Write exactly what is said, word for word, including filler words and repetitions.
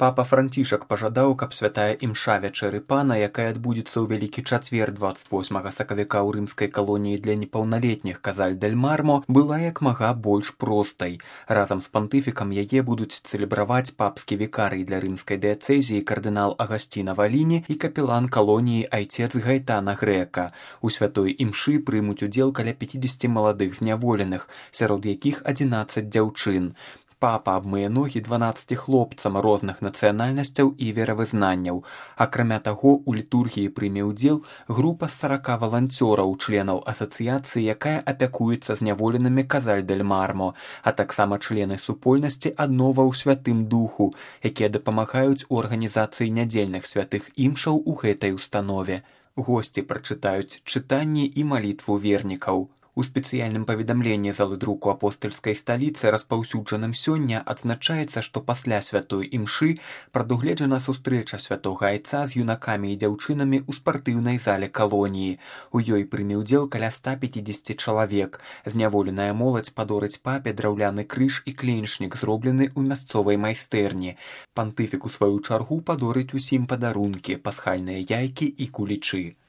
Папа Францішак пажадаў, каб святая імша вячэры пана, якая адбудзецца ў Вялікі чацвер дваццаць восьмага сакавіка ў рымскай калоніі для непаўналетніх Казаль-дель-Мармо, была як мага больш простай. Разам з пантыфікам яе будуць цэлебраваць папскі вікарый для рымскай дыяцэзіі кардынал Агасціна Валіні і капелан калоніі айцец Гайтана Грэка. У святой імшы прымуць удзел каля пяцідзесяці маладых зняволеных, сярод якіх адзінаццаць дзяўчын. Папа абмые ногі дванаццаці хлопцам розных нацыянальнасцяў і веравызнанняў. Акрамя таго, у літургіі прыме ўдзел група з сарака валанцёраў, членаў асацыяцыі, якая апякуецца зняволенымі Казаль-дель-Мармо, а таксама члены супольнасці аднова ў святым духу, якія дапамагаюць у арганізацыі нядзельных святых імшаў у гэтай установе. Госці прачытаюць чытанні і малітву вернікаў. У спецыяльным паведамленні залы друку апостальскай сталіцы, распаўсюджаным сёння, адзначаецца, што пасля святой імшы прадугледжана сустрэча святога айца з юнакамі і дзяўчынамі ў спартыўнай зале калоніі. У ёй прыме ўдзел каля ста пяцідзесяці чалавек. Зняволеная моладзь падорыць папе драўляны крыж і кленчнік, зроблены ў мясцовай майстэрні. Пантыфік у сваю чаргу падорыць усім падарункі, пасхальныя яйкі і кулічы.